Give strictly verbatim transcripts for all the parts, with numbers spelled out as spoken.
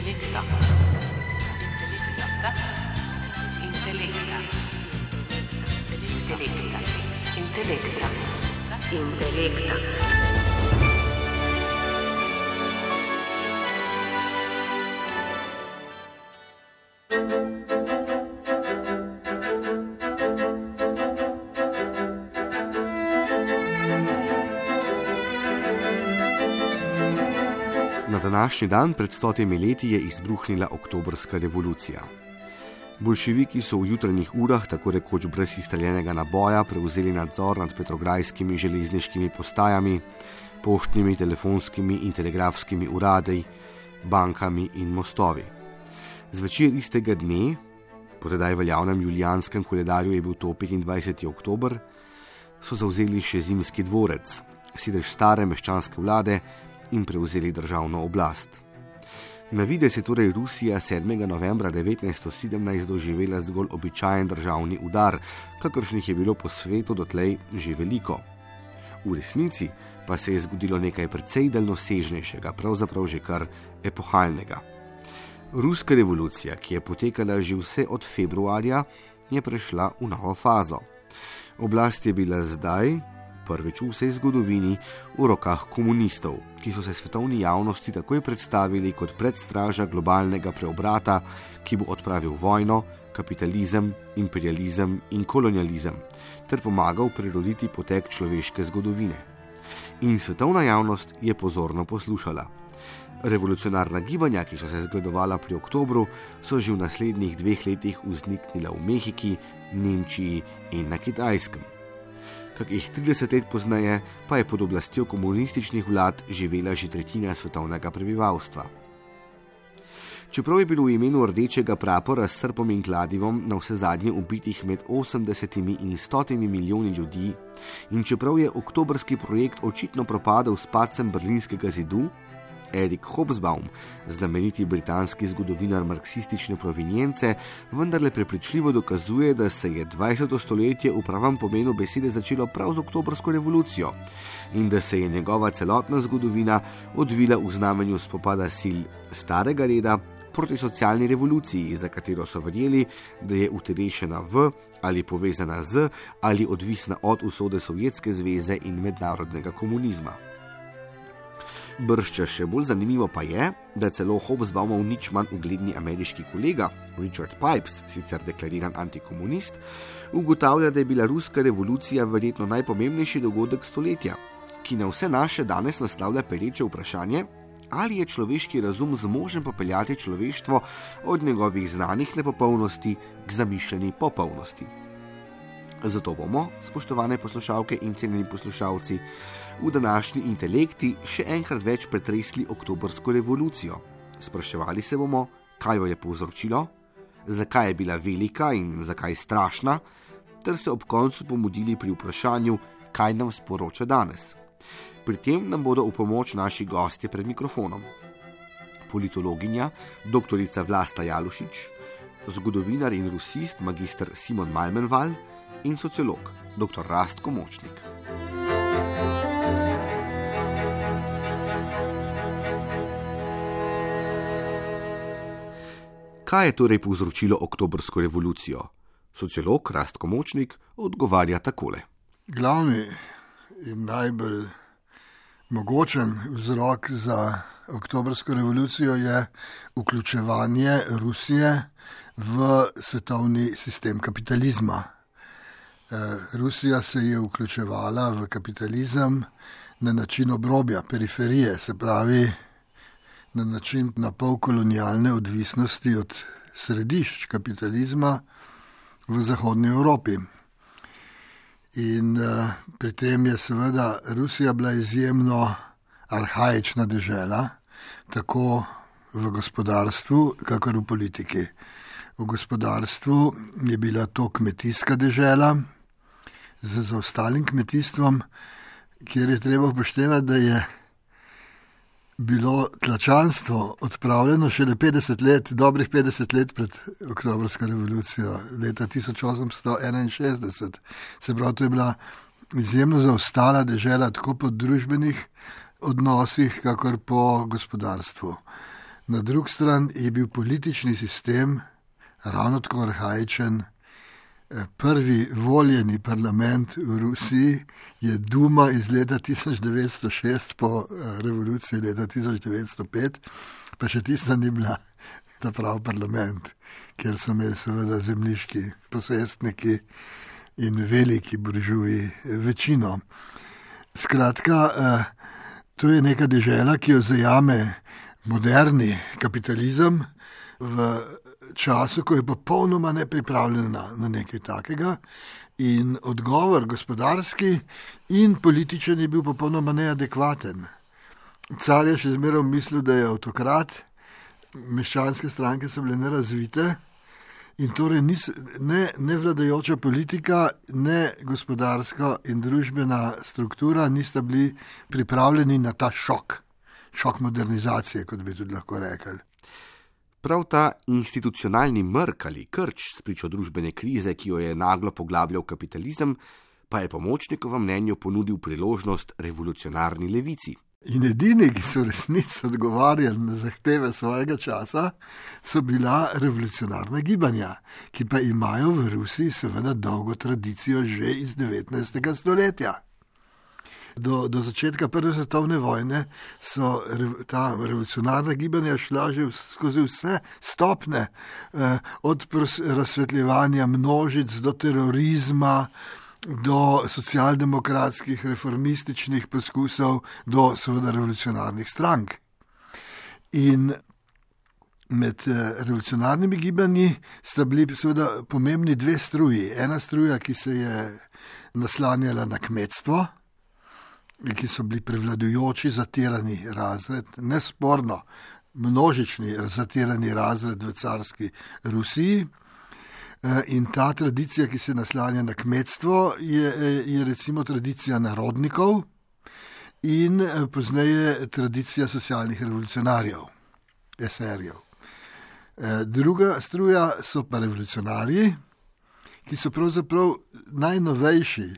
Intelekta. Intelekta. Intelekta. Intelekta. Intelekta. Na današnji dan pred stotimi leti je izbruhnila oktobrska revolucija. Boljševiki so v jutranjih urah, tako rekoč brez izstreljenega naboja, prevzeli nadzor nad petrograjskimi železniškimi postajami, poštnimi, telefonskimi in telegrafskimi uradi, bankami in mostovi. Zvečer istega dne, po tedaj veljavnem julijanskem koledarju je bil to petindvajseti oktober, so zavzeli še Zimski dvorec, sedež stare meščanske vlade, in prevzeli državno oblast. Na videz je torej Rusija sedmega novembra devetnajststo sedemnajst doživela zgolj običajen državni udar, kakršnih je bilo po svetu dotlej že veliko. V resnici pa se je zgodilo nekaj precej daljnosežnejšega, pravzaprav že kar epohalnega. Ruska revolucija, ki je potekala že vse od februarja, je prešla v novo fazo. Oblast je bila zdaj, prvič v vsej zgodovini, v rokah komunistov, ki so se svetovni javnosti takoj predstavili kot predstraža globalnega preobrata, ki bo odpravil vojno, kapitalizem, imperializem in kolonializem, ter pomagal preroditi potek človeške zgodovine. In svetovna javnost je pozorno poslušala. Revolucionarna gibanja, ki so se zgledovala pri oktobru, so že v naslednjih dveh letih vzniknila v Mehiki, Nemčiji in na Kitajskem. Kakih trideset let pozneje pa je pod oblastjo komunističnih vlad živela že tretjina svetovnega prebivalstva. Čeprav je bilo v imenu rdečega prapora s srpom in kladivom na vse zadnje ubitih med osemdesetimi in stotimi milijoni ljudi in čeprav je oktobrski projekt očitno propadel s padcem berlinskega zidu, Erik Hobsbawm, znameniti britanski zgodovinar marksistične provenience, vendarle prepričljivo dokazuje, da se je dvajseto stoletje v pravem pomenu besede začelo prav z oktobrsko revolucijo in da se je njegova celotna zgodovina odvila v znamenju spopada sil starega reda proti socialni revoluciji, za katero so verjeli, da je uterešena v ali povezana z ali odvisna od usode Sovjetske zveze in mednarodnega komunizma. Bržča še bolj zanimivo pa je, da celo Hobsbawmov nič manj ugledni ameriški kolega, Richard Pipes, sicer deklariran antikomunist, ugotavlja, da je bila ruska revolucija verjetno najpomembnejši dogodek stoletja, ki na vse naše danes naslavlja pereče vprašanje, ali je človeški razum zmožen popeljati človeštvo od njegovih znanih nepopolnosti k zamišljeni popolnosti. Zato bomo, spoštovane poslušalke in cenjeni poslušalci, v današnji Intelekti še enkrat več pretresli oktobrsko revolucijo. Spraševali se bomo, kaj jo je povzročilo, zakaj je bila velika in zakaj strašna, ter se ob koncu pomudili pri vprašanju, kaj nam sporoča danes. Pri tem nam bodo v pomoč naši gostje pred mikrofonom. Politologinja, doktorica Vlasta Jalušič, zgodovinar in rusist magister Simon Malmenval in sociolog, doktor Rastko Močnik. Kaj je torej povzročilo oktobrsko revolucijo? Sociolog Rastko Močnik odgovarja takole. Glavni in najbolj mogočen vzrok za oktobrsko revolucijo je vključevanje Rusije v svetovni sistem kapitalizma. Rusija se je vključevala v kapitalizem na način obrobja, periferije, se pravi na način napol kolonialne odvisnosti od središč kapitalizma v zahodni Evropi. In uh, pri tem je seveda Rusija bila izjemno arhaična dežela, tako v gospodarstvu, kakor v politiki. V gospodarstvu je bila to kmetijska dežela z zaostalim kmetijstvom, kjer je treba upoštevati, da je bilo tlačanstvo odpravljeno šele petdeset let, dobrih petdeset let pred oktobrsko revolucijo, leta tisoč osemsto enainšestdeset. Se pravi, to je bila izjemno zaostala dežela tako po družbenih odnosih, kakor po gospodarstvu. Na drugi strani je bil politični sistem ravno tako arhaičen. Prvi voljeni parlament v Rusiji je Duma iz leta tisoč devetsto šest po revoluciji leta tisoč devetsto pet, pa še tista ni bila ta prav parlament, kjer so imeli seveda zemljiški posestniki in veliki buržuji večino. Skratka, to je neka dežela, ki jo zajame moderni kapitalizem v času, ko je popolnoma nepripravljena na, na nekaj takega, in odgovor gospodarski in političen je bil popolnoma neadekvaten. Car je še zmeraj mislil, da je avtokrat, meščanske stranke so bile nerazvite in torej nis, ne, ne vladajoča politika, ne gospodarska in družbena struktura nista bili pripravljeni na ta šok, šok modernizacije, kot bi tudi lahko rekli. Prav ta institucionalni mrk ali krč spričo družbene krize, ki jo je naglo poglabljal kapitalizem, pa je po Močnikovem mnenju ponudil priložnost revolucionarni levici. In edini, ki so resnici odgovarjali na zahteve svojega časa, so bila revolucionarna gibanja, ki pa imajo v Rusiji seveda dolgo tradicijo že iz devetnajstega stoletja. Do, do začetka prve svetovne vojne so ta revolucionarna gibanja šla že skozi vse stopne, eh, od razsvetljevanja množic do terorizma, do socialdemokratskih, reformističnih poskusov, do seveda revolucionarnih strank. In med revolucionarnimi gibanji sta bili seveda pomembni dve struji. Ena struja, ki se je naslanjala na kmetstvo, ki so bili prevladujoči zatirani razred, nesporno množični zatirani razred v carski Rusiji. In ta tradicija, ki se naslanja na kmetstvo, je, je recimo tradicija narodnikov in pozneje tradicija socialnih revolucionarjev, eserjev. Druga struja so pa revolucionarji, ki so pravzaprav najnovejši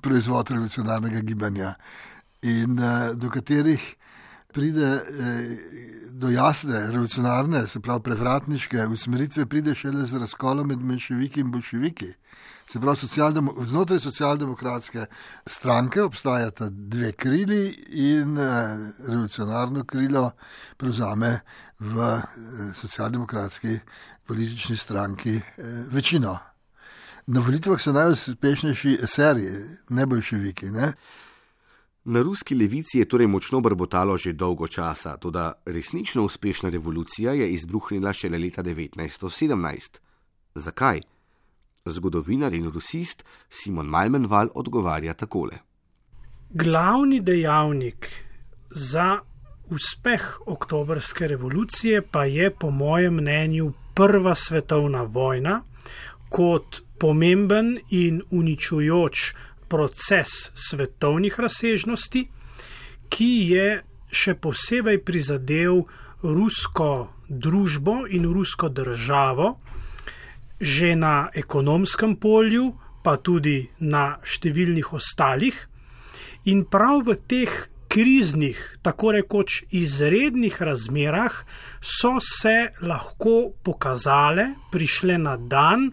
proizvod revolucionarnega gibanja in do katerih pride do jasne, revolucionarne, se pravi prevratniške usmeritve, pride šele z razkolom med menševiki in bolševiki. Se pravi, socialdemo, znotraj socialdemokratske stranke obstajata dve krili in eh, revolucionarno krilo prevzame v eh, socialdemokratski politični stranki eh, večino. Na volitvah so najuspešnejši eserji, ne bolševiki, ne? Na ruski levici je torej močno brbotalo že dolgo časa, toda resnično uspešna revolucija je izbruhnila šele leta devetnajststo sedemnajst. Zakaj? Zgodovinar in rusist Simon Malmenval odgovarja takole. Glavni dejavnik za uspeh oktobrske revolucije pa je po mojem mnenju prva svetovna vojna kot pomemben in uničujoč proces svetovnih razsežnosti, ki je še posebej prizadel rusko družbo in rusko državo, že na ekonomskem polju, pa tudi na številnih ostalih. In prav v teh kriznih, tako rekoč izrednih razmerah so se lahko pokazale, prišle na dan,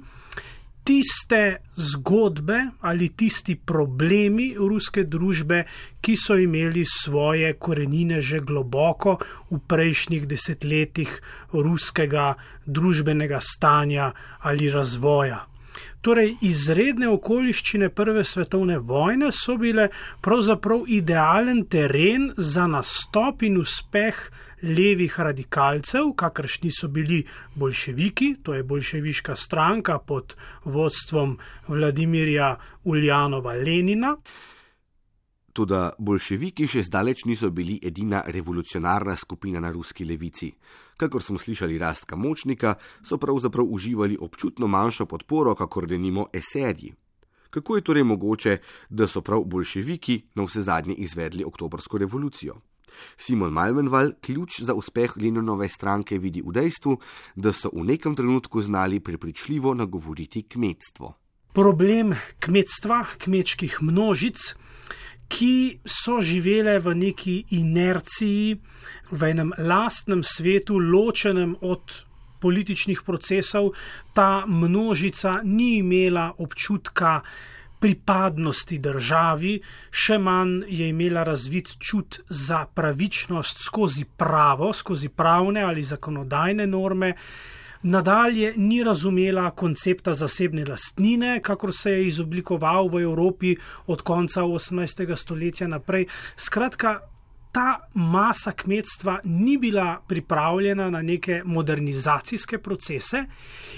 tiste zgodbe ali tisti problemi ruske družbe, ki so imeli svoje korenine že globoko v prejšnjih desetletjih ruskega družbenega stanja ali razvoja. Torej, izredne okoliščine prve svetovne vojne so bile pravzaprav idealen teren za nastop in uspeh levih radikalcev, kakršni so bili bolševiki, to je bolševiška stranka pod vodstvom Vladimirja Uljanova Lenina. Toda bolševiki še zdaleč niso bili edina revolucionarna skupina na ruski levici. Kakor smo slišali Rastka Močnika, so pravzaprav uživali občutno manjšo podporo, kakor denimo eserji. Kako je torej mogoče, da so prav bolševiki na vse zadnje izvedli oktobrsko revolucijo? Simon Malmenval ključ za uspeh Leninove stranke vidi v dejstvu, da so v nekem trenutku znali prepričljivo nagovoriti kmetstvo. Problem kmetstva, kmečkih množic, ki so živele v neki inerciji, v enem lastnem svetu, ločenem od političnih procesov. Ta množica ni imela občutka pripadnosti državi, še manj je imela razvit čut za pravičnost skozi pravo, skozi pravne ali zakonodajne norme. Nadalje ni razumela koncepta zasebne lastnine, kakor se je izoblikoval v Evropi od konca osemnajstega stoletja naprej. Skratka, ta masa kmetstva ni bila pripravljena na neke modernizacijske procese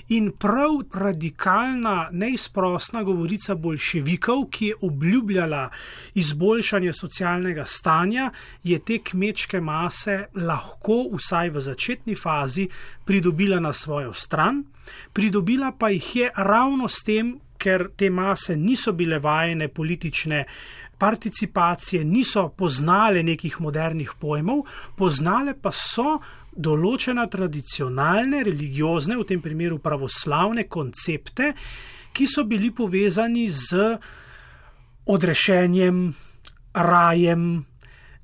in prav radikalna, neizprosna govorica boljševikov, ki je obljubljala izboljšanje socialnega stanja, je te kmečke mase lahko, vsaj v začetni fazi, pridobila na svojo stran. Pridobila pa jih je ravno s tem, ker te mase niso bile vajene politične participacije, niso poznale nekih modernih pojmov, poznale pa so določena tradicionalne, religiozne, v tem primeru pravoslavne koncepte, ki so bili povezani z odrešenjem, rajem,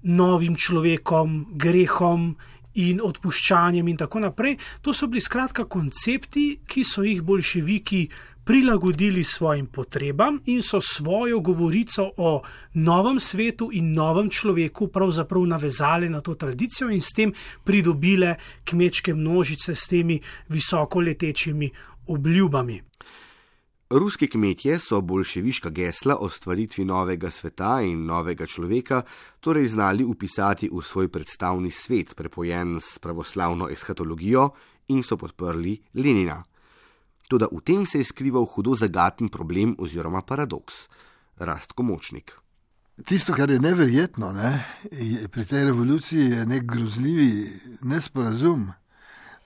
novim človekom, grehom in odpuščanjem in tako naprej. To so bili skratka koncepti, ki so jih boljševiki prilagodili svojim potrebam in so svojo govorico o novem svetu in novem človeku pravzaprav navezali na to tradicijo in s tem pridobile kmečke množice s temi visoko letečimi obljubami. Ruski kmetje so boljševiška gesla o stvaritvi novega sveta in novega človeka torej znali upisati v svoj predstavni svet, prepojen s pravoslavno eshatologijo, in so podprli Lenina. Toda v tem se je skrival hudo zagaten problem oziroma paradoks. Rastko Močnik. Tisto, kar je neverjetno, ne, je, pri tej revoluciji je nek grozljivi nesporazum.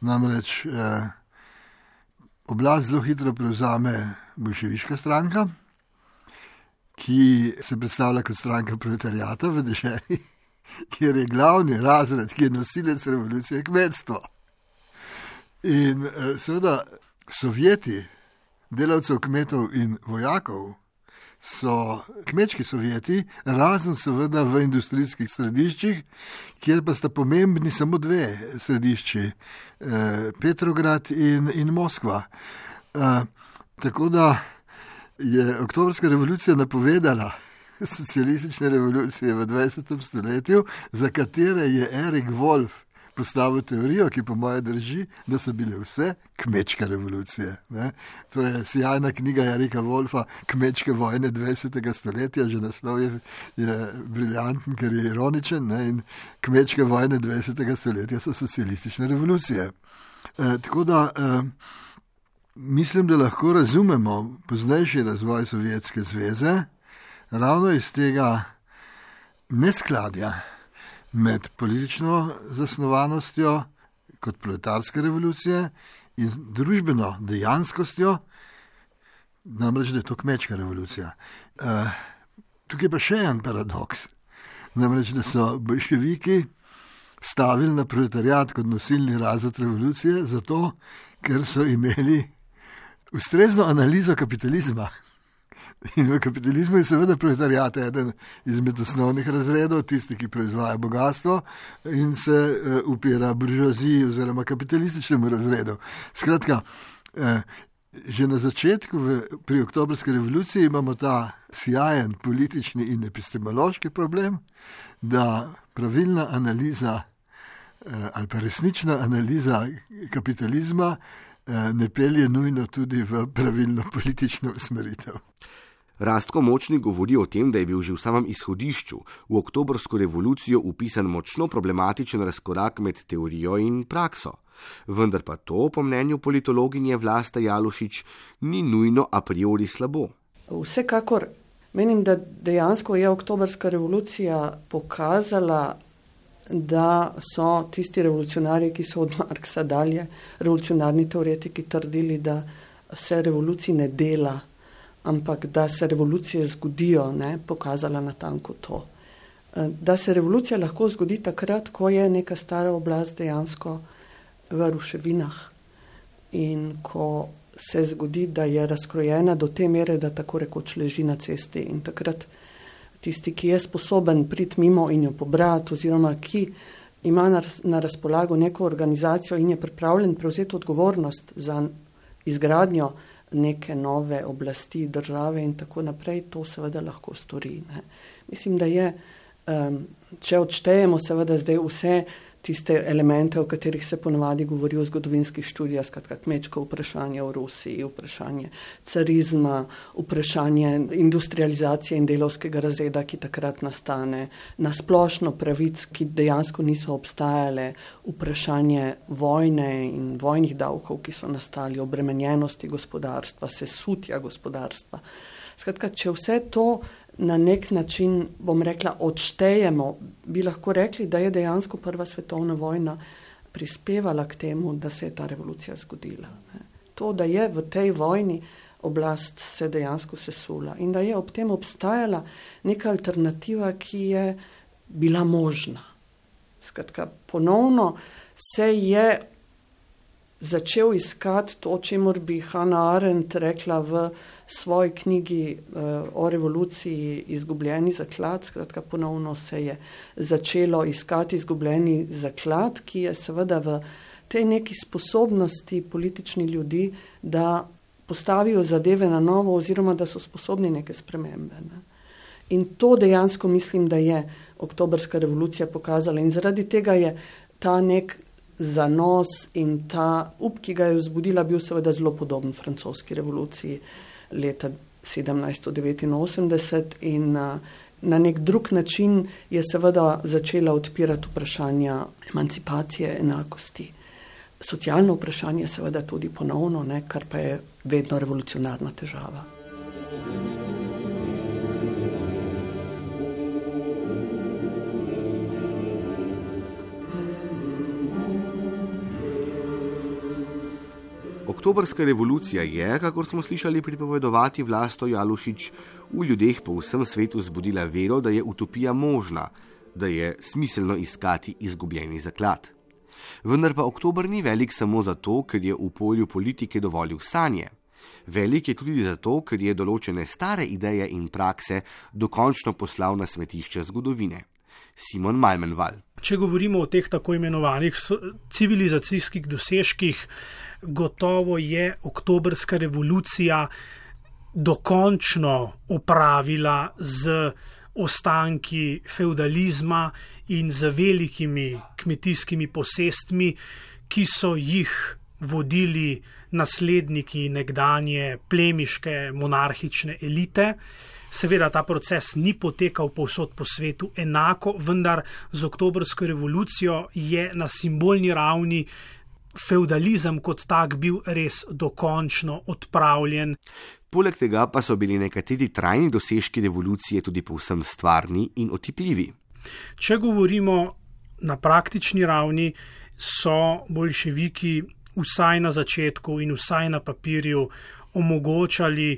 Namreč eh, oblast zelo hitro prevzame boljševiška stranka, ki se predstavlja kot stranka proletariata v deželi, kjer je glavni razred, ki je nosilec revolucije, kmetstvo. In eh, seveda Sovjeti, delavcev, kmetov in vojakov, so kmečki Sovjeti, razen seveda v industrijskih središčih, kjer pa sta pomembni samo dve središči, eh, Petrograd in, in Moskva. Eh, tako da je oktobrska revolucija napovedala socialistične revolucije v dvajsetem stoletju, za katere je Erik Wolf postavil teorijo, ki po moje drži, da so bile vse kmečke revolucije. Ne? To je sjajna knjiga Erika Wolfa, Kmečke vojne dvajsetega stoletja, že naslov je, je briljanten, ker je ironičen, ne? In kmečke vojne dvajsetega stoletja so socialistične revolucije. E, tako da e, mislim, da lahko razumemo poznejši razvoj Sovjetske zveze ravno iz tega neskladja med politično zasnovanostjo kot proletarske revolucije in družbeno dejanskostjo, namreč, da je to kmečka revolucija. Uh, tukaj pa še en paradoks, namreč, da so boljševiki stavili na proletariat kot nosilni razred revolucije, zato, ker so imeli ustrezno analizo kapitalizma. In v kapitalizmu je seveda proletariat eden izmed osnovnih razredov, tisti, ki proizvaja bogatstvo in se uh, upira buržoaziji oziroma kapitalističnemu razredu. Skratka, uh, že na začetku v, pri oktobrski revoluciji imamo ta sjajen politični in epistemološki problem, da pravilna analiza uh, ali pa resnična analiza kapitalizma uh, ne pelje nujno tudi v pravilno politično usmeritev. Rastko Močnik govori o tem, da je bil že v samem izhodišču v oktobrsko revolucijo upisan močno problematičen razkorak med teorijo in prakso. Vendar pa to, po mnenju politologinje Vlaste Jalušič, ni nujno a priori slabo. Vsekakor menim, da dejansko je oktobrska revolucija pokazala, da so tisti revolucionarji, ki so od Marksa dalje, revolucionarni teoretiki trdili, da se revoluciji ne dela, ampak da se revolucije zgodijo, ne, pokazala natanko to. Da se revolucija lahko zgodi takrat, ko je neka stara oblast dejansko v ruševinah in ko se zgodi, da je razkrojena do te mere, da tako rekoč leži na cesti. In takrat tisti, ki je sposoben priti mimo in jo pobrati, oziroma ki ima na, na razpolago neko organizacijo in je pripravljen prevzeti odgovornost za izgradnjo neke nove oblasti, države in tako naprej, to seveda lahko stori. Ne. Mislim, da je, um, če odštejemo seveda zdaj vse tiste elemente, o katerih se ponovadi govori v zgodovinskih študijah, skratka kmečko vprašanje v Rusiji, vprašanje carizma, vprašanje industrializacije in delovskega razreda, ki takrat nastane, nasplošno pravic, ki dejansko niso obstajale, vprašanje vojne in vojnih davkov, ki so nastali, obremenjenosti gospodarstva, sesutja gospodarstva. Skratka, če vse to na nek način, bom rekla, odštejemo, bi lahko rekli, da je dejansko prva svetovna vojna prispevala k temu, da se je ta revolucija zgodila. To, da je v tej vojni oblast se dejansko sesula in da je ob tem obstajala neka alternativa, ki je bila možna. Skratka, ponovno se je začel iskati to, čemur bi Hannah Arendt rekla v svoji knjigi uh, o revoluciji Izgubljeni zaklad. Skratka, ponovno se je začelo iskati izgubljeni zaklad, ki je seveda v tej neki sposobnosti političnih ljudi, da postavijo zadeve na novo oziroma da so sposobni neke spremembe. Ne. In to dejansko mislim, da je oktobrska revolucija pokazala in zaradi tega je ta nek zanos in ta up, ki ga je vzbudila, bil seveda zelo podoben francoski revoluciji leta sedemnajststo devetinosemdeset in na, na nek drug način je seveda začela odpirati vprašanja emancipacije, enakosti. Socialno vprašanje seveda tudi ponovno, ne, kar pa je vedno revolucionarna težava. Oktobrska revolucija je, kakor smo slišali pripovedovati Vlasto Jalušič, v ljudeh po vsem svetu zbudila vero, da je utopija možna, da je smiselno iskati izgubljeni zaklad. Vendar pa oktober ni velik samo zato, ker je v polju politike dovolil sanje. Velik je tudi zato, ker je določene stare ideje in prakse dokončno poslal na smetišče zgodovine. Simon Malmenval. Če govorimo o teh tako imenovanih civilizacijskih dosežkih, gotovo je oktobrska revolucija dokončno opravila z ostanki feudalizma in z velikimi kmetijskimi posestmi, ki so jih vodili nasledniki nekdanje plemiške monarhične elite. Seveda ta proces ni potekal povsod po svetu enako, vendar z oktobrsko revolucijo je na simbolni ravni feudalizem kot tak bil res dokončno odpravljen. Poleg tega pa so bili nekateri trajni dosežki revolucije tudi povsem stvarni in otipljivi. Če govorimo na praktični ravni, so boljševiki vsaj na začetku in vsaj na papirju omogočali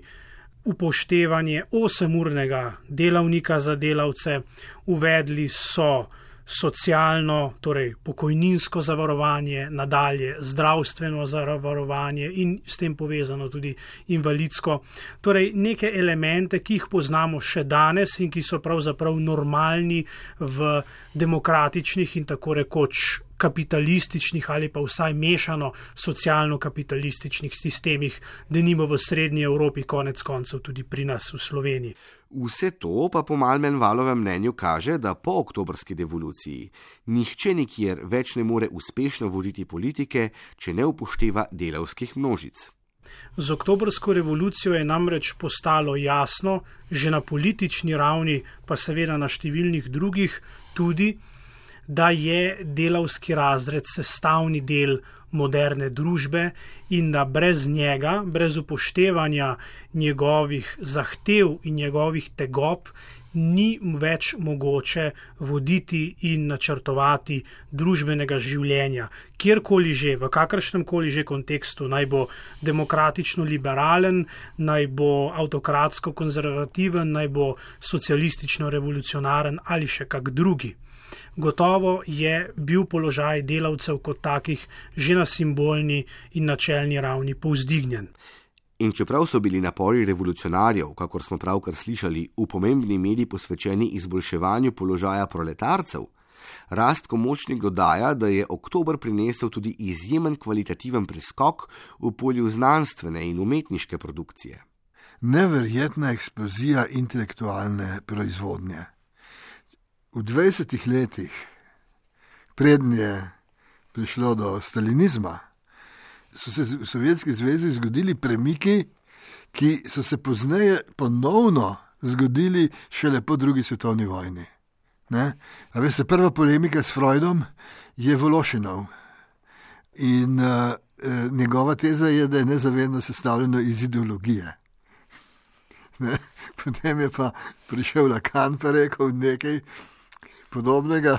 upoštevanje osemurnega delavnika za delavce, uvedli so socialno, torej pokojninsko zavarovanje, nadalje zdravstveno zavarovanje in s tem povezano tudi invalidsko. Torej neke elemente, ki jih poznamo še danes in ki so pravzaprav normalni v demokratičnih in tako rekoč kapitalističnih ali pa vsaj mešano socialno-kapitalističnih sistemih, denimo v Srednji Evropi, konec koncev tudi pri nas v Sloveniji. Vse to pa po Malmenvalovem mnenju kaže, da po oktobrski revoluciji nihče nikjer več ne more uspešno voditi politike, če ne upošteva delavskih množic. Z oktobrsko revolucijo je namreč postalo jasno, že na politični ravni, pa seveda na številnih drugih tudi, da je delavski razred sestavni del moderne družbe in da brez njega, brez upoštevanja njegovih zahtev in njegovih tegob, ni več mogoče voditi in načrtovati družbenega življenja. Kjerkoli že, v kakršnem koli že kontekstu, naj bo demokratično-liberalen, naj bo avtokratsko-konzervativen, naj bo socialistično-revolucionaren ali še kak drugi. Gotovo je bil položaj delavcev kot takih že na simbolni in načelni ravni povzdignjen. In čeprav so bili napori revolucionarjev, kakor smo pravkar slišali, v pomembni meri posvečeni izboljševanju položaja proletarcev, Rastko Močnik dodaja, da je oktober prinesel tudi izjemen kvalitativen preskok v polju znanstvene in umetniške produkcije. Neverjetna eksplozija intelektualne proizvodnje. V dvajsetih letih, preden je prišlo do stalinizma, so se v Sovjetski zvezi zgodili premiki, ki so se pozneje ponovno zgodili šele po drugi svetovni vojni. Ne? A veste, prva polemika s Freudom je Vološinov. In uh, njegova teza je, da je nezavedno sestavljeno iz ideologije. Ne? Potem je pa prišel Lacan pa rekel nekaj podobnega,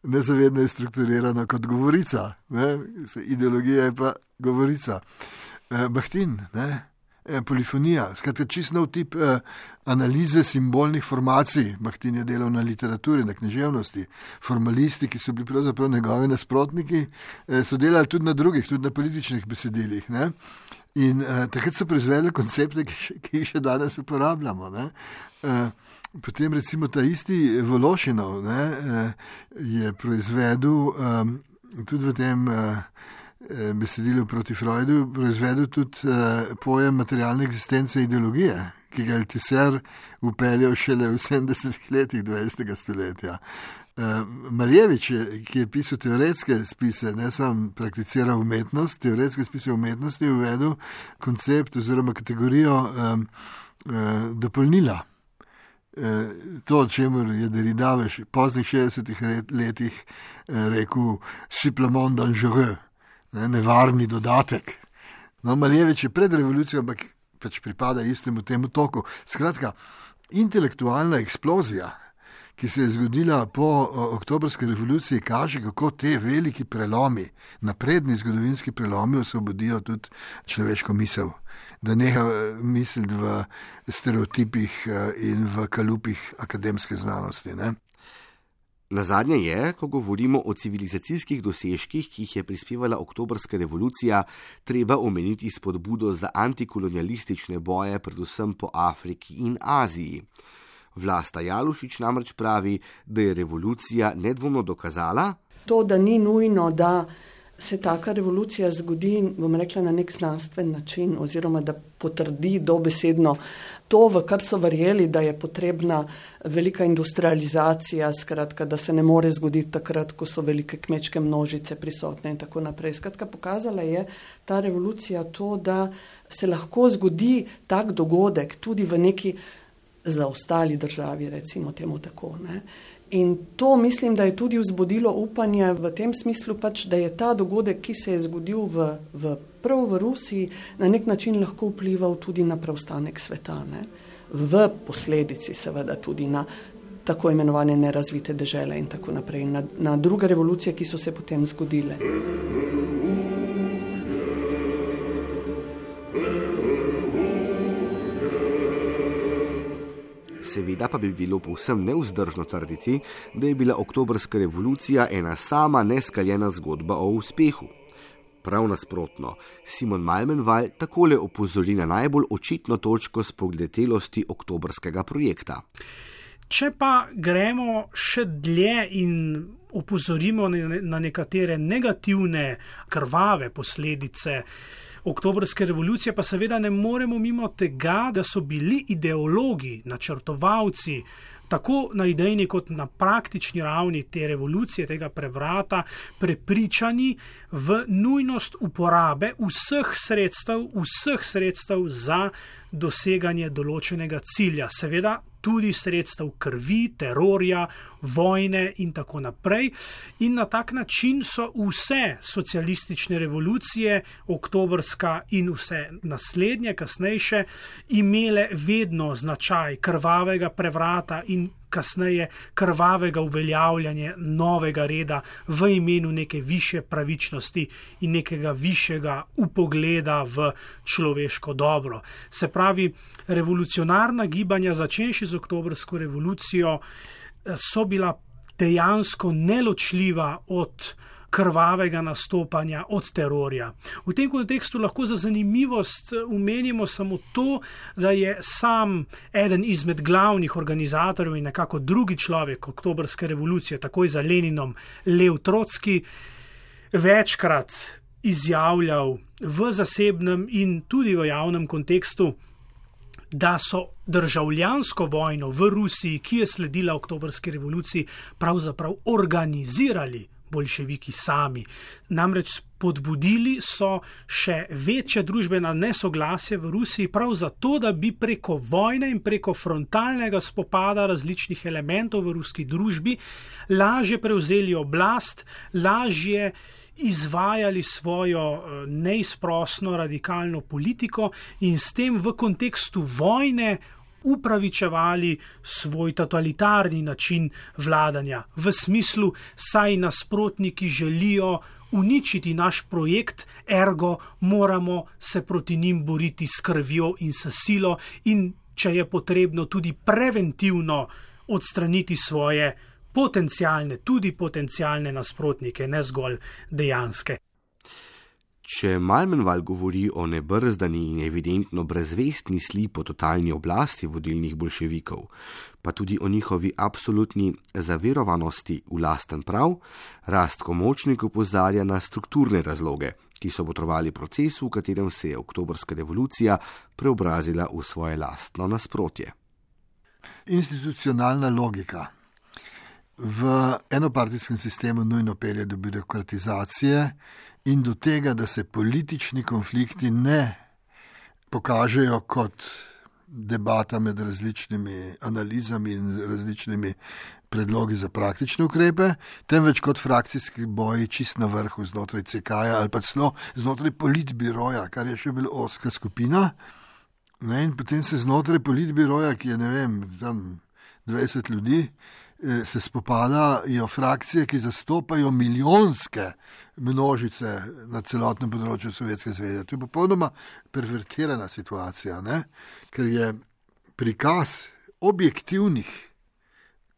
nezavedno je strukturirano kot govorica. Ne? Ideologija je pa govorica. Uh, Bakhtin, ne? Polifonija, skratka čisto nov tip eh, analize simbolnih formacij. Bakhtin je delal na literaturi, na književnosti. Formalisti, ki so bili pravzaprav njegovi nasprotniki, eh, so delali tudi na drugih, tudi na političnih besedilih. Ne? In eh, takrat so proizvedli koncepte, ki, še, ki jih še danes uporabljamo. Ne? Eh, potem recimo ta isti Vološinov ne, eh, je proizvedel eh, tudi v tem eh, besedilo proti Freudu, proizvedel tudi uh, pojem materialne eksistence ideologije, ki ga je Althusser upeljal šele v sedemdesetih letih dvajsetega stoletja. Uh, Maljevič, ki je pisal teoretske spise, ne sam prakticiral umetnost, teoretske spise umetnosti, je uvedel koncept oziroma kategorijo um, uh, dopolnila. Uh, to, o čemer je Derrida v poznih šestdesetih letih uh, rekel supplément dangereux, Ne, nevarni dodatek. No, Maljevič je pred revolucijo, ampak pač pripada istemu temu toku. Skratka, intelektualna eksplozija, ki se je zgodila po o, oktobrski revoluciji, kaže, kako te veliki prelomi, napredni zgodovinski prelomi osvobodijo tudi človeško misel. Da neha misliti v stereotipih in v kalupih akademske znanosti. Ne? Nazadnje je, ko govorimo o civilizacijskih dosežkih, ki jih je prispevala oktobrska revolucija, treba omeniti spodbudo za antikolonialistične boje predvsem po Afriki in Aziji. Vlasta Jalušič namreč pravi, da je revolucija nedvomno dokazala, to, da ni nujno, da se taka revolucija zgodi, bom rekla, na nek znanstven način oziroma da potrdi dobesedno to, v kar so verjeli, da je potrebna velika industrializacija, skratka, da se ne more zgoditi takrat, ko so velike kmečke množice prisotne in tako naprej. Skratka, pokazala je ta revolucija to, da se lahko zgodi tak dogodek tudi v neki zaostali državi, recimo temu tako, ne. In to mislim, da je tudi vzbudilo upanje v tem smislu, pač, da je ta dogodek, ki se je zgodil v, v, prav v Rusiji, na nek način lahko vplival tudi na preostanek sveta. Ne? V posledici seveda tudi na tako imenovane nerazvite dežele in tako naprej, na, na druge revolucije, ki so se potem zgodile. Seveda pa bi bilo povsem nevzdržno trditi, da je bila oktobrska revolucija ena sama neskaljena zgodba o uspehu. Prav nasprotno, Simon Malmenval takole opozori na najbolj očitno točko spogledelosti oktobrskega projekta. Če pa gremo še dlje in opozorimo na nekatere negativne, krvave posledice oktobrske revolucije, pa seveda ne moremo mimo tega, da so bili ideologi, načrtovalci, tako na idejni kot na praktični ravni te revolucije, tega prevrata, prepričani v nujnost uporabe vseh sredstev, vseh sredstev za doseganje določenega cilja. Seveda tudi sredstev krvi, terorja, vojne in tako naprej. In na tak način so vse socialistične revolucije, oktobrska in vse naslednje, kasnejše, imele vedno značaj krvavega prevrata in kasneje krvavega uveljavljanja novega reda v imenu neke višje pravičnosti in nekega višjega upogleda v človeško dobro. Se pravi, revolucionarna gibanja, začenši z oktobrsko revolucijo, so bila dejansko neločljiva od krvavega nastopanja, od terorja. V tem kontekstu lahko za zanimivost omenimo samo to, da je sam eden izmed glavnih organizatorjev in nekako drugi človek oktobrske revolucije, takoj za Leninom, Lev Trotski, večkrat izjavljal v zasebnem in tudi v javnem kontekstu, da so državljansko vojno v Rusiji, ki je sledila oktobrski revoluciji, pravzaprav organizirali boljševiki sami. Namreč spodbudili so še večje družbena nesoglasje v Rusiji prav zato, da bi preko vojne in preko frontalnega spopada različnih elementov v ruski družbi lažje prevzeli oblast, lažje izvajali svojo neizprosno radikalno politiko in s tem v kontekstu vojne upravičevali svoj totalitarni način vladanja. V smislu, saj nasprotniki želijo uničiti naš projekt, ergo moramo se proti njim boriti s krvjo in s silo in, če je potrebno, tudi preventivno odstraniti svoje potencialne, tudi potencialne nasprotnike, ne zgolj dejanske. Če Malmenval govori o nebrzdani in evidentno brezvestni sli po totalni oblasti vodilnih bolševikov, pa tudi o njihovi absolutni zaverovanosti v lasten prav, Rastko Močnik opozarja na strukturne razloge, ki so botrovali procesu, v katerem se je oktobrska revolucija preobrazila v svoje lastno nasprotje. Institucionalna logika v enopartijskem sistemu nujno pelje do birokratizacije in do tega, da se politični konflikti ne pokažejo kot debata med različnimi analizami in različnimi predlogi za praktične ukrepe, temveč kot frakcijski boji čist na vrhu znotraj C K-ja ali pa celo znotraj politbiroja, kar je še bolj ozka skupina. Ne, in potem se znotraj politbiroja, ki je, ne vem, tam dvajset ljudi, se spopadajo frakcije, ki zastopajo milijonske množice na celotnem področju Sovjetske zveze. To je popolnoma pervertirana situacija, ne? Ker je prikaz objektivnih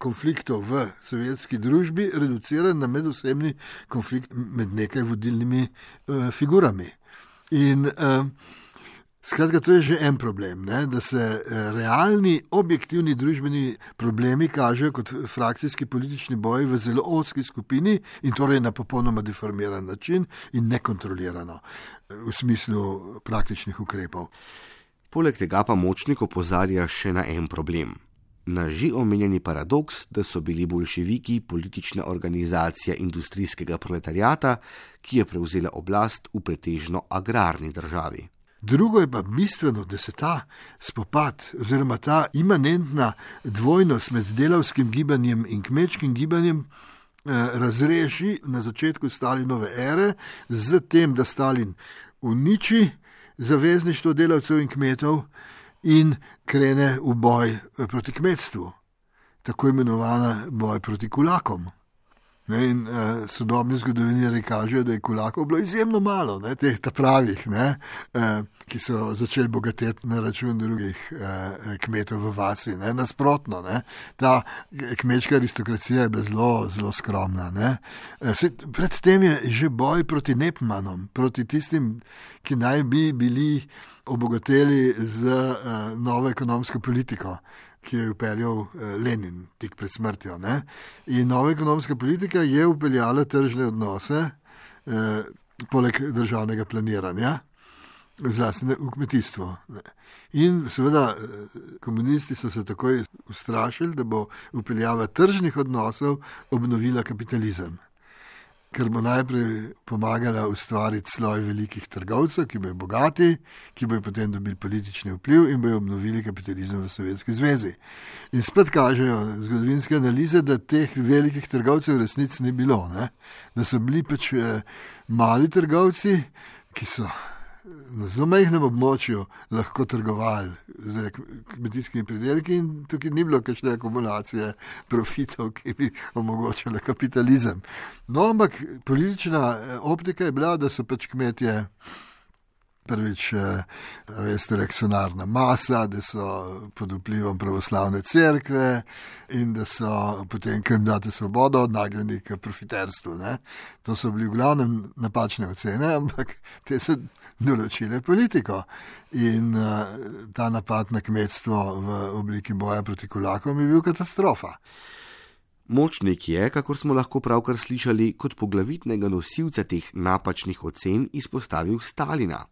konfliktov v sovjetski družbi reduciran na medosebni konflikt med nekaj vodilnimi uh, figurami. In uh, Skratka, to je že en problem, ne? Da se realni, objektivni družbeni problemi kažejo kot frakcijski politični boji v zelo ozki skupini in torej na popolnoma deformiran način in nekontrolirano v smislu praktičnih ukrepov. Poleg tega pa Močnik opozarja še na en problem. Na že omenjeni paradoks, da so bili boljševiki politična organizacija industrijskega proletariata, ki je prevzela oblast v pretežno agrarni državi. Drugo je pa bistveno, da se ta spopad oziroma ta imanentna dvojnost med delavskim gibanjem in kmečkim gibanjem eh, razreši na začetku Stalinove ere z tem, da Stalin uniči zavezništvo delavcev in kmetov in krene v boj proti kmetstvu, tako imenovana boj proti kulakom. Ne, in uh, sodobni zgodovinarji kažejo, da je kulakov bilo izjemno malo, ne, teh ta pravih, ne, uh, ki so začeli bogateti na račun drugih uh, kmetov v vasi. Ne, nasprotno, ne, ta kmečka aristokracija je bila zelo, zelo skromna. Ne. Uh, se, predtem je že boj proti Nepmanom, proti tistim, ki naj bi bili obogateli z uh, novo ekonomsko politiko, ki je upeljal Lenin tik pred smrtjo. Ne? In nova ekonomska politika je upeljala tržne odnose, eh, poleg državnega planiranja, zlasti v kmetijstvo. Ne? In seveda komunisti so se takoj ustrašili, da bo upeljava tržnih odnosov obnovila kapitalizem, ker bo najprej pomagala ustvariti sloj velikih trgovcev, ki bojo bogati, ki bojo potem dobili politični vpliv in bojo obnovili kapitalizem v Sovjetski zvezi. In spet kažejo zgodovinske analize, da teh velikih trgovcev v resnici ni bilo, ne? Da so bili pač mali trgovci, ki so na zelo majhnem območju lahko trgovali z kmetijskimi pridelki in tukaj ni bilo kakšne akumulacije profitov, ki bi omogočale kapitalizem. No, ampak politična optika je bila, da so pač kmetje Prvič, veste, reakcionarna masa, da so pod vplivom pravoslavne cerkve in da so potem, ko jim date svobodo, odnagnjeni k profiterstvu. Ne? To so bili v glavnem napačne ocene, ampak te so določile politiko. In uh, ta napad na kmetstvo v obliki boja proti kulakom je bil katastrofa. Močnik je, kakor smo lahko pravkar slišali, kot poglavitnega nosilca teh napačnih ocen izpostavil Stalina.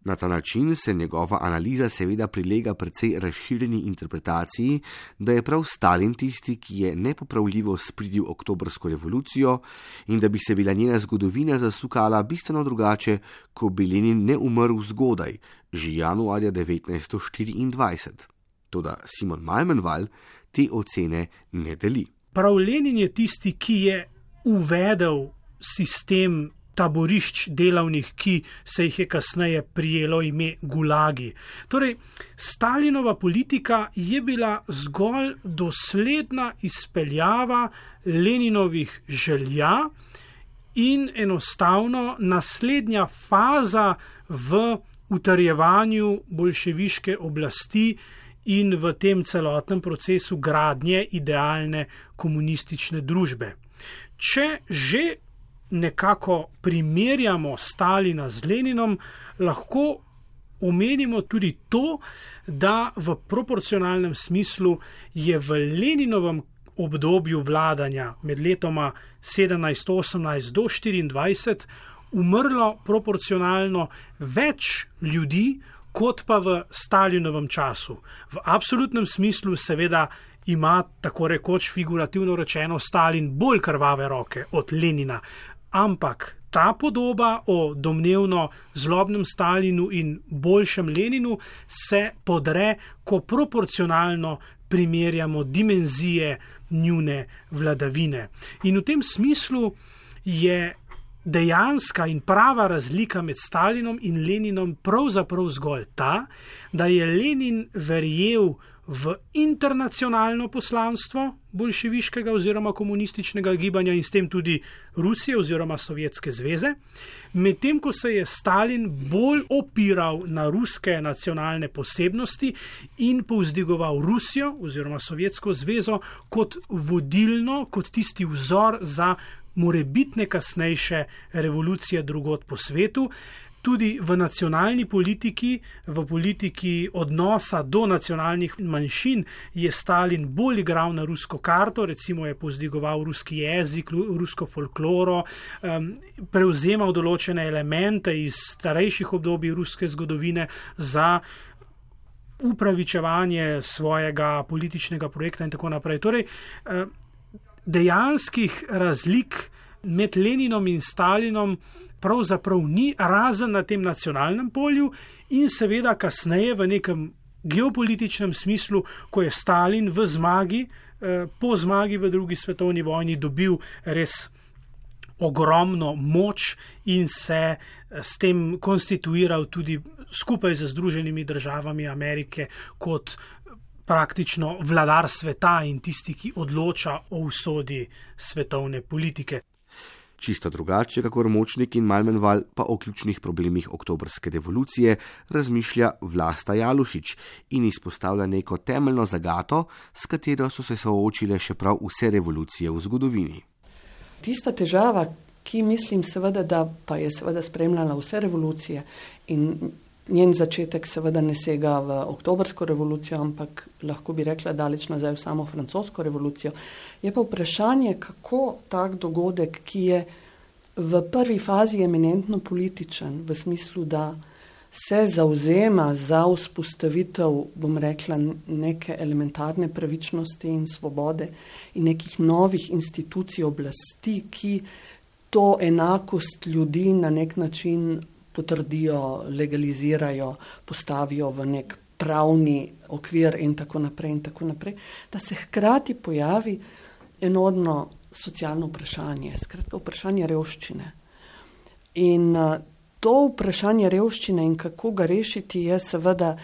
Na ta način se njegova analiza seveda prilega precej razširjeni interpretaciji, da je prav Stalin tisti, ki je nepopravljivo spridil oktobrsko revolucijo in da bi se bila njena zgodovina zasukala bistveno drugače, ko bi Lenin ne umrl zgodaj, že januarja devetnajststo štiriindvajset. Toda Simon Malmenval te ocene ne deli. Prav Lenin je tisti, ki je uvedel sistem taborišč delavnih, ki se jih je kasneje prijelo ime gulagi. Torej, Stalinova politika je bila zgolj dosledna izpeljava Leninovih želja in enostavno naslednja faza v utrjevanju boljševiške oblasti in v tem celotnem procesu gradnje idealne komunistične družbe. Če že nekako primerjamo Stalina z Leninom, lahko omenimo tudi to, da v proporcionalnem smislu je v Leninovem obdobju vladanja med letoma sedemnajst osemnajst do štiriindvajset umrlo proporcionalno več ljudi, kot pa v Stalinovem času. V absolutnem smislu seveda ima tako rekoč figurativno rečeno Stalin bolj krvave roke od Lenina, ampak ta podoba o domnevno zlobnem Stalinu in boljšem Leninu se podre, ko proporcionalno primerjamo dimenzije njune vladavine. In v tem smislu je dejanska in prava razlika med Stalinom in Leninom pravzaprav zgolj ta, da je Lenin verjel v internacionalno poslanstvo boljševiškega oziroma komunističnega gibanja in s tem tudi Rusije oziroma Sovjetske zveze, medtem ko se je Stalin bolj opiral na ruske nacionalne posebnosti in povzdigoval Rusijo oziroma Sovjetsko zvezo kot vodilno, kot tisti vzor za morebitne kasnejše revolucije drugod po svetu. Tudi v nacionalni politiki, v politiki odnosa do nacionalnih manjšin je Stalin bolj igral na rusko karto, recimo je povzdigoval ruski jezik, rusko folkloro, prevzemal določene elemente iz starejših obdobij ruske zgodovine za upravičevanje svojega političnega projekta in tako naprej. Torej, dejanskih razlik med Leninom in Stalinom pravzaprav ni, razen na tem nacionalnem polju in seveda kasneje v nekem geopolitičnem smislu, ko je Stalin v zmagi, po zmagi v drugi svetovni vojni dobil res ogromno moč in se s tem konstituiral tudi skupaj z Združenimi državami Amerike kot praktično vladar sveta in tisti, ki odloča o usodi svetovne politike. Čisto drugače, kakor Močnik in Malmenval, pa o ključnih problemih oktobrske revolucije razmišlja Vlasta Jalušič in izpostavlja neko temeljno zagato, s katero so se soočile še prav vse revolucije v zgodovini. Tista težava, ki mislim seveda, da pa je seveda spremljala vse revolucije in njen začetek seveda ne sega v oktobrsko revolucijo, ampak lahko bi rekla daleč nazaj v samo francosko revolucijo, je pa vprašanje, kako tak dogodek, ki je v prvi fazi eminentno političen, v smislu, da se zauzema za vzpostavitev, bom rekla, neke elementarne pravičnosti in svobode in nekih novih institucij oblasti, ki to enakost ljudi na nek način potrdijo, legalizirajo, postavijo v nek pravni okvir in tako naprej in tako naprej, da se hkrati pojavi enormno socialno vprašanje, skratka vprašanje revščine. In to vprašanje revščine in kako ga rešiti je seveda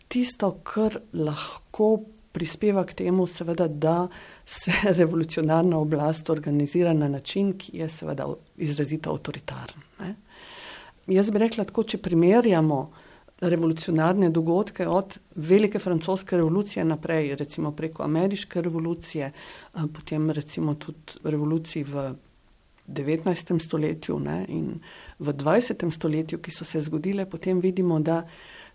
tisto, kar lahko prispeva k temu, seveda, da se revolucionarna oblast organizira na način, ki je seveda izrazito avtoritarn. Ne? jaz bi rekla tako, če primerjamo revolucionarne dogodke od velike francoske revolucije naprej, recimo preko ameriške revolucije, potem recimo tudi revoluciji v devetnajstem stoletju, ne, in v dvajsetem stoletju, ki so se zgodile, potem vidimo, da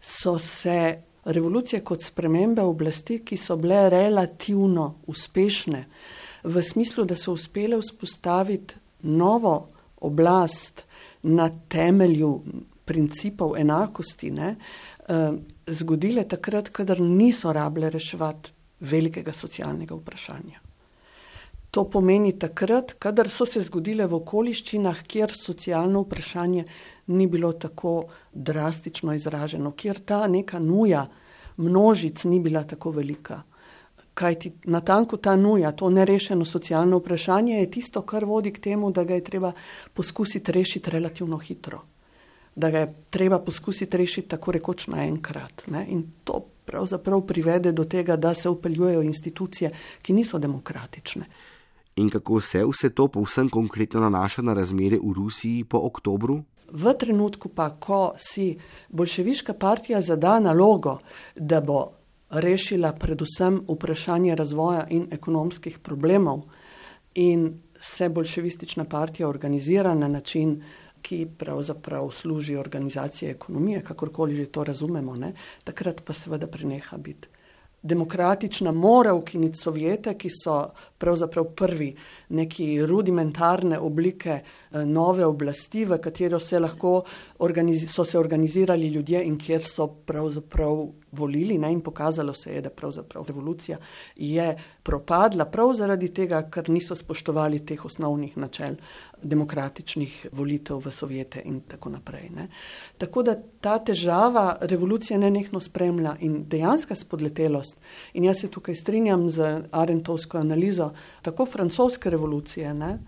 so se revolucije kot spremembe oblasti, ki so bile relativno uspešne, v smislu, da so uspele vzpostaviti novo oblast na temelju principov enakosti, ne, zgodile takrat, kadar niso rabile reševati velikega socialnega vprašanja. To pomeni takrat, kadar so se zgodile v okoliščinah, kjer socialno vprašanje ni bilo tako drastično izraženo, kjer ta neka nuja množic ni bila tako velika. Kajti natanko ta nuja, to nerešeno socialno vprašanje je tisto, kar vodi k temu, da ga je treba poskusiti rešiti relativno hitro. Da ga je treba poskusiti rešiti tako rekoč naenkrat. Ne? In to pravzaprav privede do tega, da se upeljujejo institucije, ki niso demokratične. In kako se vse to povsem konkretno nanaša na razmere v Rusiji po oktobru? V trenutku pa, ko si boljševiška partija zada nalogo, da bo rešila predvsem vprašanje razvoja in ekonomskih problemov in se boljševistična partija organizira na način, ki pravzaprav služi organizacije ekonomije, kakorkoli že to razumemo, ne? Takrat pa seveda preneha biti demokratična, mora ukiniti Sovjete, ki so pravzaprav prvi neki rudimentarne oblike nove oblasti, v katero se lahko organiz- so se organizirali ljudje in kjer so pravzaprav volili, ne? In pokazalo se je, da pravzaprav revolucija je propadla prav zaradi tega, ker niso spoštovali teh osnovnih načel demokratičnih volitev v Sovjete in tako naprej. Ne? Tako da ta težava revolucije nenehno spremlja in dejanska spodletelost, in jaz se tukaj strinjam z Arendtovsko analizo, tako francoske revolucije, ne,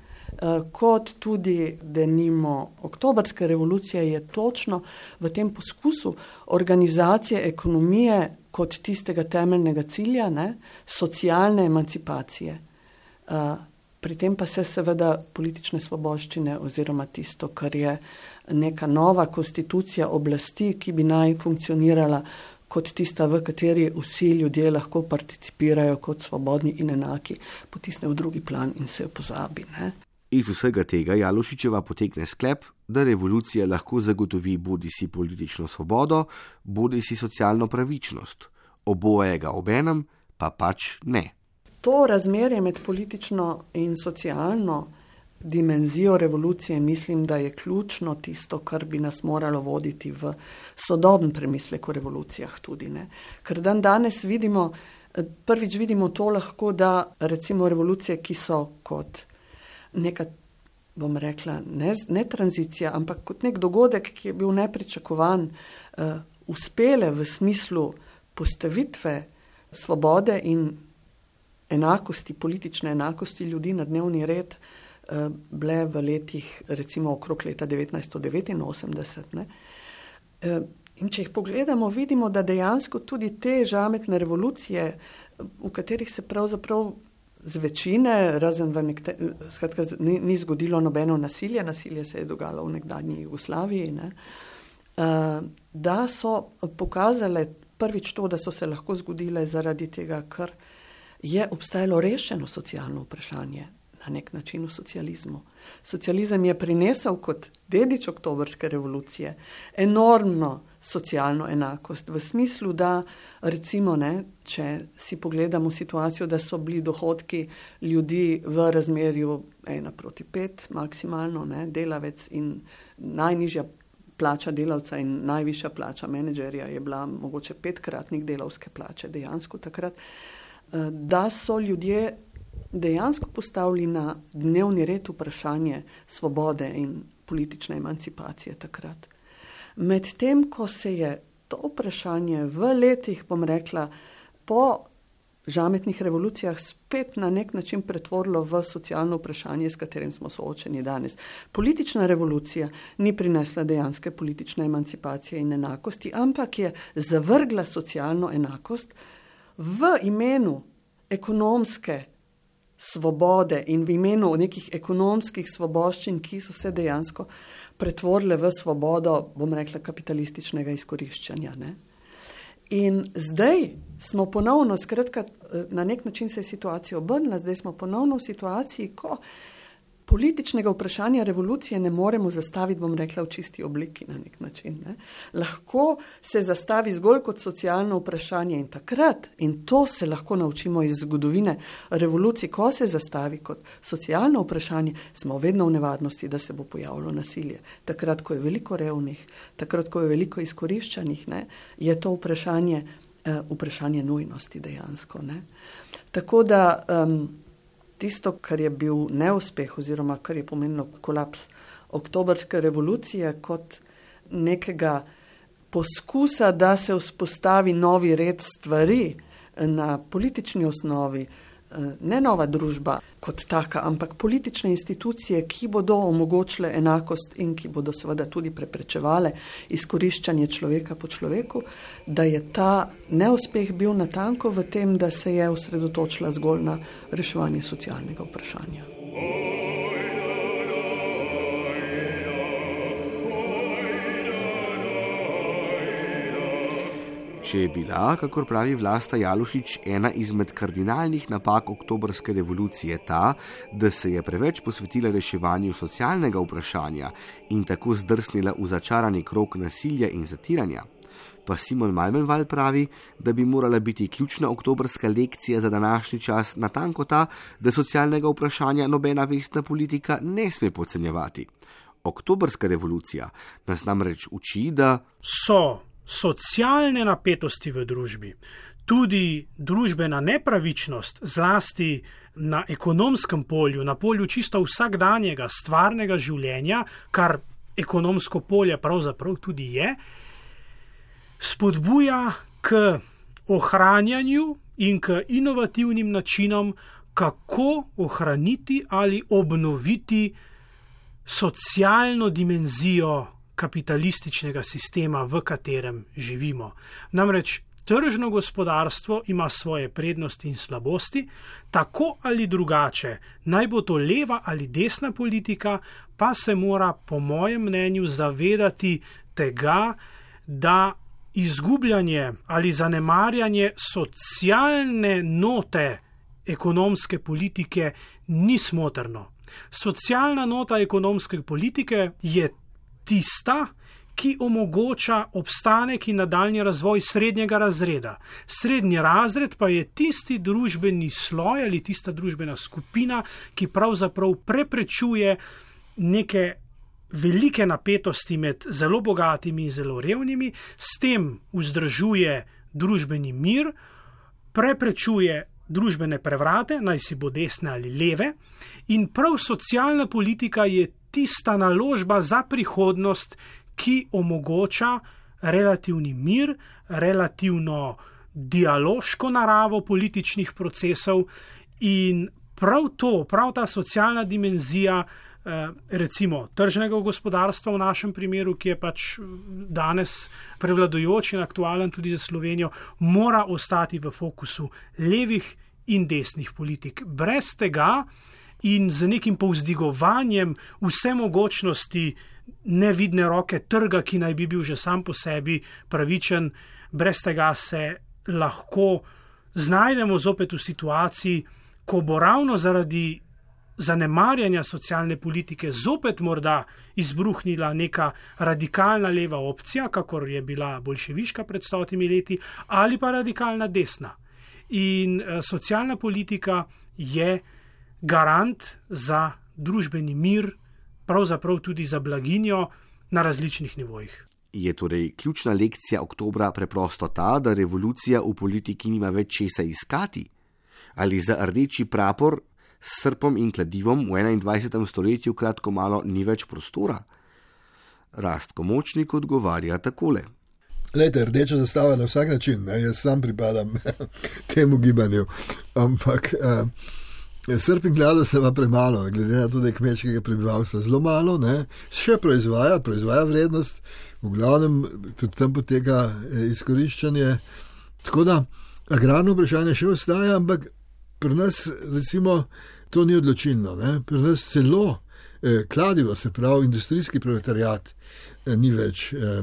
kot tudi denimo oktobrske revolucije, je točno v tem poskusu organizacije ekonomije kot tistega temeljnega cilja, ne, socialne emancipacije. Pri tem pa se seveda politične svoboščine oziroma tisto, kar je neka nova konstitucija oblasti, ki bi naj funkcionirala kot tista, v kateri vsi ljudje lahko participirajo kot svobodni in enaki, potisne v drugi plan in se jo pozabi. Ne? Iz vsega tega Jalušičeva potegne sklep, da revolucija lahko zagotovi bodisi politično svobodo, bodisi socialno pravičnost. Obojega obenem pa pač ne. To razmerje med politično in socialno dimenzijo revolucije mislim, da je ključno tisto, kar bi nas moralo voditi v sodoben premislek o revolucijah tudi. Ne? Ker dan danes vidimo, prvič vidimo to lahko, da recimo revolucije, ki so kot neka, bom rekla, ne, ne tranzicija, ampak kot nek dogodek, ki je bil nepričakovan, uh, uspele v smislu postavitve svobode in enakosti, politične enakosti ljudi na dnevni red, uh, bile v letih, recimo okrog leta devetnajststo devetinosemdeset. Ne? Uh, in če jih pogledamo, vidimo, da dejansko tudi te žametne revolucije, v katerih se pravzaprav z večine, razen v nekte, skratka, ni, ni zgodilo nobeno nasilje, nasilje se je dogajalo v nekdanji Jugoslaviji, ne, da so pokazale prvič to, da so se lahko zgodile zaradi tega, ker je obstajalo rešeno socialno vprašanje na nek način v socializmu. Socializem je prinesel kot dedič oktobrske revolucije enormno socialno enakost v smislu, da recimo, ne, če si pogledamo situacijo, da so bili dohodki ljudi v razmerju ena proti pet maksimalno, ne, delavec in najnižja plača delavca in najvišja plača menedžerja je bila mogoče petkratnik delavske plače dejansko takrat, da so ljudje dejansko postavili na dnevni red vprašanje svobode in politične emancipacije takrat. Medtem, ko se je to vprašanje v letih, bom rekla, po žametnih revolucijah spet na nek način pretvorilo v socialno vprašanje, s katerim smo soočeni danes. Politična revolucija ni prinesla dejanske politične emancipacije in enakosti, ampak je zavrgla socialno enakost v imenu ekonomske svobode in v imenu nekih ekonomskih svoboščin, ki so se dejansko pretvorile v svobodo, bom rekla, kapitalističnega izkoriščanja. Ne? In zdaj smo ponovno, skratka, na nek način se je situacija obrnila, zdaj smo ponovno v situaciji, ko političnega vprašanja revolucije ne moremo zastaviti, bom rekla, v čisti obliki na nek način. Ne? Lahko se zastavi zgolj kot socialno vprašanje in takrat, in to se lahko naučimo iz zgodovine revolucij, ko se zastavi kot socialno vprašanje, smo vedno v nevarnosti, da se bo pojavilo nasilje. Takrat, ko je veliko revnih, takrat, ko je veliko izkoriščanih, ne, je to vprašanje, uh, vprašanje nujnosti dejansko. Ne? Tako da um, tisto, kar je bil neuspeh oziroma kar je pomenilo kolaps oktobrske revolucije kot nekega poskusa, da se vzpostavi novi red stvari na politični osnovi, ne nova družba kot taka, ampak politične institucije, ki bodo omogočile enakost in ki bodo seveda tudi preprečevale izkoriščanje človeka po človeku, da je ta neuspeh bil natanko v tem, da se je osredotočila zgolj na reševanje socialnega vprašanja. Če je bila, kakor pravi Vlasta Jalušič, ena izmed kardinalnih napak oktobrske revolucije ta, da se je preveč posvetila reševanju socialnega vprašanja in tako zdrsnila v začarani krog nasilja in zatiranja, pa Simon Malmenval pravi, da bi morala biti ključna oktobrska lekcija za današnji čas natanko ta, da socialnega vprašanja nobena vestna politika ne sme podcenjevati. Oktobrska revolucija nas namreč uči, da so socialne napetosti v družbi, tudi družbena nepravičnost, zlasti na ekonomskem polju, na polju čisto vsakdanjega, stvarnega življenja, kar ekonomsko polje pravzaprav tudi je, spodbuja k ohranjanju in k inovativnim načinom, kako ohraniti ali obnoviti socialno dimenzijo kapitalističnega sistema, v katerem živimo. Namreč tržno gospodarstvo ima svoje prednosti in slabosti, tako ali drugače, naj bo to leva ali desna politika, pa se mora po mojem mnenju zavedati tega, da izgubljanje ali zanemarjanje socialne note ekonomske politike ni smotrno. Socialna nota ekonomske politike je tista, ki omogoča obstanek in nadaljnji razvoj srednjega razreda. Srednji razred pa je tisti družbeni sloj ali tista družbena skupina, ki pravzaprav preprečuje neke velike napetosti med zelo bogatimi in zelo revnimi, s tem vzdržuje družbeni mir, preprečuje družbene prevrate, naj si bo desne ali leve, in prav socialna politika je tista naložba za prihodnost, ki omogoča relativni mir, relativno dialoško naravo političnih procesov in prav to, prav ta socialna dimenzija, recimo tržnega gospodarstva v našem primeru, ki je pač danes prevladujoč in aktualen tudi za Slovenijo, mora ostati v fokusu levih in desnih politik. Brez tega in z nekim povzdigovanjem vse mogočnosti nevidne roke trga, ki naj bi bil že sam po sebi pravičen, brez tega se lahko znajdemo zopet v situaciji, ko bo ravno zaradi zanemarjanja socialne politike zopet morda izbruhnila neka radikalna leva opcija, kakor je bila boljševiška pred stotimi leti, ali pa radikalna desna. In uh, socialna politika je garant za družbeni mir, pravzaprav tudi za blaginjo na različnih nivojih. Je torej ključna lekcija oktobra preprosto ta, da revolucija v politiki nima več česa iskati? Ali za rdeči prapor s srpom in kladivom v enaindvajsetem stoletju kratko malo ni več prostora? Rastko Močnik odgovarja takole. Glejte, rdeča zastava na vsak način, ne? Jaz sam pripadam temu gibanju, ampak eh, srp in kladiv se pa premalo, glede na to, da je kmečkega prebivalstva zelo malo, ne? Še proizvaja, proizvaja vrednost, v glavnem tudi tam poteka eh, izkoriščanje, tako da agrarno vprašanje še ostaja, ampak pri nas recimo to ni odločilno. Ne? Pri nas celo eh, kladivo, se pravi industrijski proletariat, eh, ni več eh,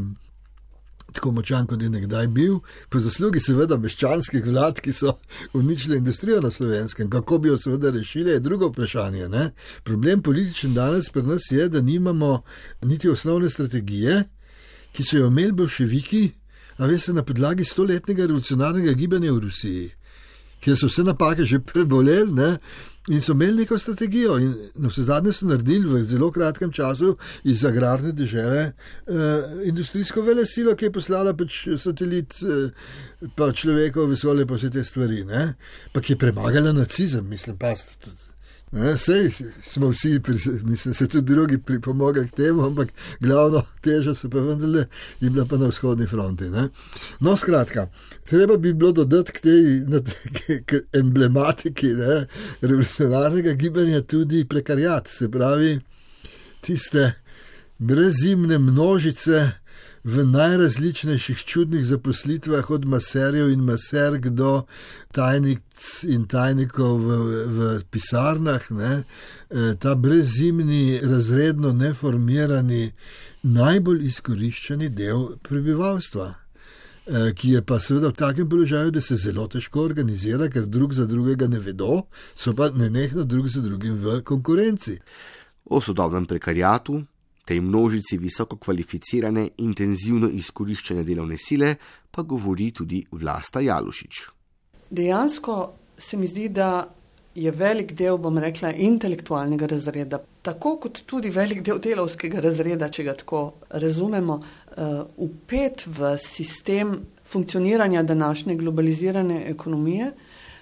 tako močan, kot je nekdaj bil, po zaslugi seveda meščanskih vlad, ki so uničile industrijo na Slovenskem. Kako bi jo seveda rešili, je drugo vprašanje. Ne? Problem političen danes pri nas je, da nimamo niti osnovne strategije, ki so jo imeli bolševiki, a veste, na podlagi stoletnega revolucionarnega gibanja v Rusiji, kjer so vse napake že preboleli, ne? In so imeli neko strategijo in na vse zadnje so naredili v zelo kratkem času iz agrarne dežele eh, industrijsko velesilo, ki je poslala pač satelit, eh, pa človeka v vesolje, pa vse te stvari, ne? Pa ki je premagala nacizem, mislim, pa sej smo vsi, mislim, se tudi drugi pripomogli k temu, ampak glavno teža se pa vendarle je bila pa na vzhodni fronti. Ne? No, skratka, treba bi bilo dodati k tej k emblematiki ne, revolucionarnega gibanja tudi prekarjat, se pravi tiste brezimne množice v najrazličnejših čudnih zaposlitvah, od maserjev in maserk do tajnic in tajnikov v, v pisarnah, ne, ta brezimni, razredno neformirani, najbolj izkoriščeni del prebivalstva, ki je pa seveda v takem položaju, da se zelo težko organizira, ker drug za drugega ne vedo, so pa nenehno drug za drugim v konkurenci. O sodobnem prekarjatu, tej množici visoko kvalificirane, intenzivno izkoriščene delovne sile, pa govori tudi Vlasta Jalušič. Dejansko se mi zdi, da je velik del, bom rekla, intelektualnega razreda, tako kot tudi velik del delavskega razreda, če ga tako razumemo, vpet v sistem funkcioniranja današnje globalizirane ekonomije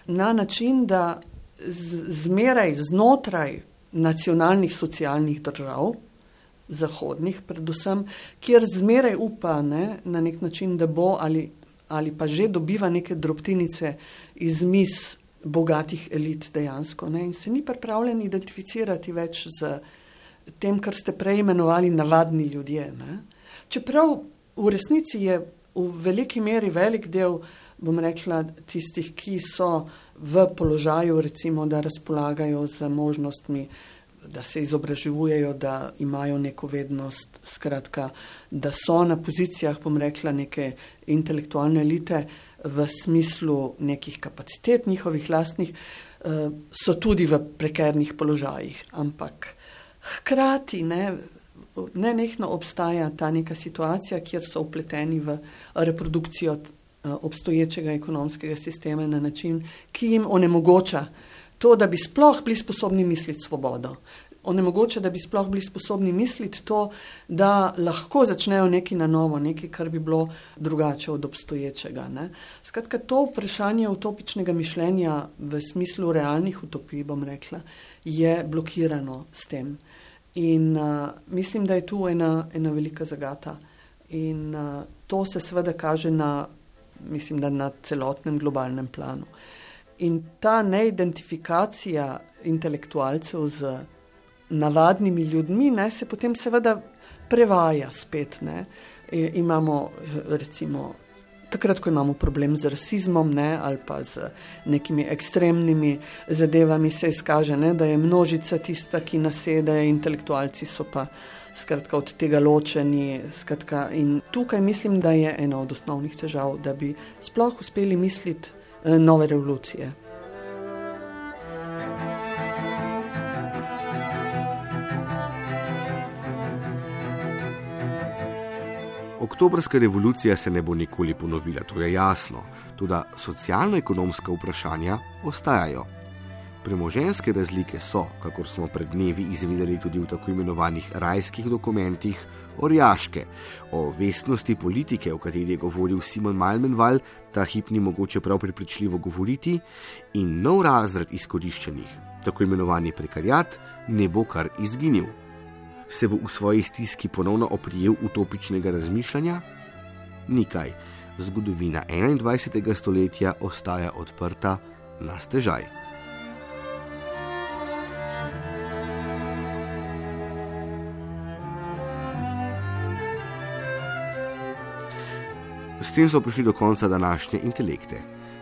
na način, da zmeraj znotraj nacionalnih socialnih držav, zahodnih predvsem, kjer zmeraj upa ne, na nek način, da bo ali, ali pa že dobiva neke drobtinice iz miz bogatih elit dejansko. Ne, in se ni pripravljen identificirati več z tem, kar ste prej imenovali navadni ljudje. Ne. Čeprav v resnici je v veliki meri velik del, bom rekla, tistih, ki so v položaju, recimo, da razpolagajo z možnostmi, da se izobražujejo, da imajo neko vednost, skratka, da so na pozicijah, bom rekla, neke intelektualne elite v smislu nekih kapacitet njihovih lastnih, so tudi v prekernih položajih. Ampak hkrati ne, nenehno obstaja ta neka situacija, kjer so vpleteni v reprodukcijo obstoječega ekonomskega sistema na način, ki jim onemogoča to, da bi sploh bili sposobni misliti svobodo. Onemogoče, da bi sploh bili sposobni misliti to, da lahko začnejo nekaj na novo, nekaj, kar bi bilo drugače od obstoječega. Ne? Skratka, to vprašanje utopičnega mišljenja v smislu realnih utopij, bom rekla, je blokirano s tem. In uh, mislim, da je tu ena, ena velika zagata. In uh, to se seveda kaže na, mislim, da na celotnem globalnem planu. In ta neidentifikacija intelektualcev z navadnimi ljudmi ne, se potem seveda prevaja spet. Ne. E, imamo recimo, takrat, ko imamo problem z rasizmom ne, ali pa z nekimi ekstremnimi zadevami, se izkaže, ne, da je množica tista, ki nasede, intelektualci so pa skratka od tega ločeni. Skratka, in tukaj mislim, da je ena od osnovnih težav, da bi sploh uspeli misliti nove revolucije. Oktobrska revolucija se ne bo nikoli ponovila, to je jasno, toda socialno-ekonomska vprašanja ostajajo. Premoženjske razlike so, kakor smo pred dnevi izvedeli tudi v tako imenovanih rajskih dokumentih, orjaške. O vestnosti politike, o kateri je govoril Simon Malmenval, ta hip ni mogoče prav prepričljivo govoriti, in nov razred izkoriščenih, tako imenovani prekarjat, ne bo kar izginil. Se bo v svoji stiski ponovno oprijel utopičnega razmišljanja? Nikaj. Zgodovina enaindvajsetega stoletja ostaja odprta na stežaj. S tem smo prišli do konca današnje Intelekte.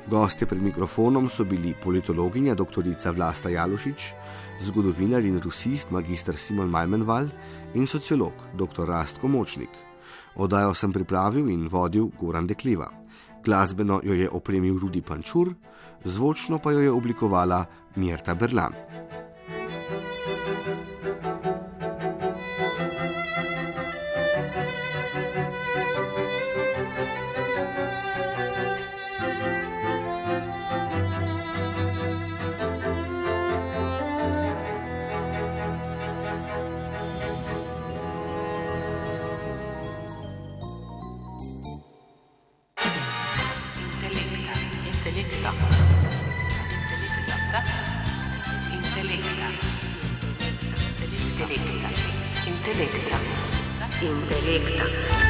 Gostje pred mikrofonom so bili politologinja doktorica Vlasta Jalušič, zgodovinar in rusist magister Simon Malmenval in sociolog doktor Rastko Močnik. Oddajo sem pripravil in vodil Goran Dekliva. Glasbeno jo je opremil Rudi Pančur, zvočno pa jo je oblikovala Mirta Berlan. Intelekta. Intelekta. Intelekta.